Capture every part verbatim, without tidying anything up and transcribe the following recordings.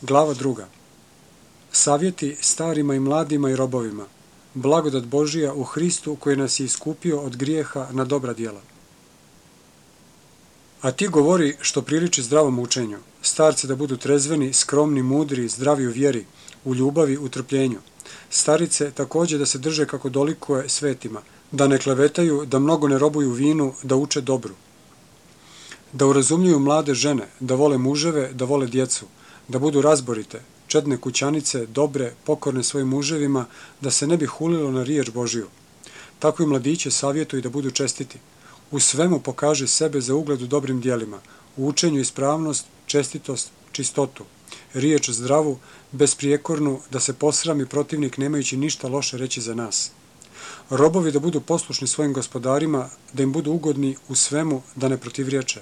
Glava druga. Savjeti starima i mladima i robovima. Blagodat Božija u Hristu koji nas je iskupio od grijeha na dobra djela. A ti govori što priliči zdravom učenju. Starci da budu trezveni, skromni, mudri, zdravi u vjeri, u ljubavi, u trpljenju. Starice također da se drže kako dolikuje svetima, da ne klevetaju, da mnogo ne robuju vinu, da uče dobru. Da urazumljuju mlade žene, da vole muževe, da vole djecu, da budu razborite, čedne kućanice, dobre, pokorne svojim muževima, da se ne bi hulilo na riječ Božiju. Tako i mladiće savjetuju da budu čestiti. U svemu pokaže sebe za ugled u dobrim djelima, u učenju ispravnost, čestitost, čistotu, riječ zdravu, besprijekornu, da se posrami protivnik nemajući ništa loše reći za nas. Robovi da budu poslušni svojim gospodarima, da im budu ugodni u svemu, da ne protivriječe.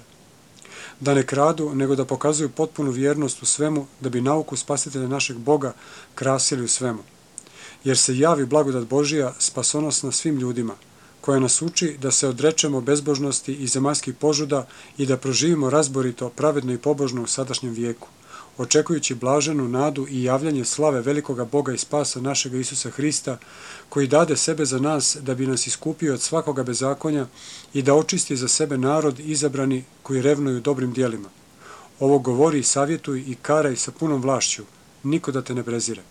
Da ne kradu, nego da pokazuju potpunu vjernost u svemu, da bi nauku spasitelja našeg Boga krasili u svemu. Jer se javi blagodat Božija spasonosna svim ljudima, koja nas uči da se odrečemo bezbožnosti i zemaljskih požuda i da proživimo razborito, pravedno i pobožno u sadašnjem vijeku, očekujući blaženu nadu i javljanje slave velikoga Boga i spasa našega Isusa Hrista, koji dade sebe za nas da bi nas iskupio od svakoga bezakonja i da očisti za sebe narod izabrani koji revnuju dobrim djelima. Ovo govori i savjetuj i karaj sa punom vlašću, niko da te ne prezire.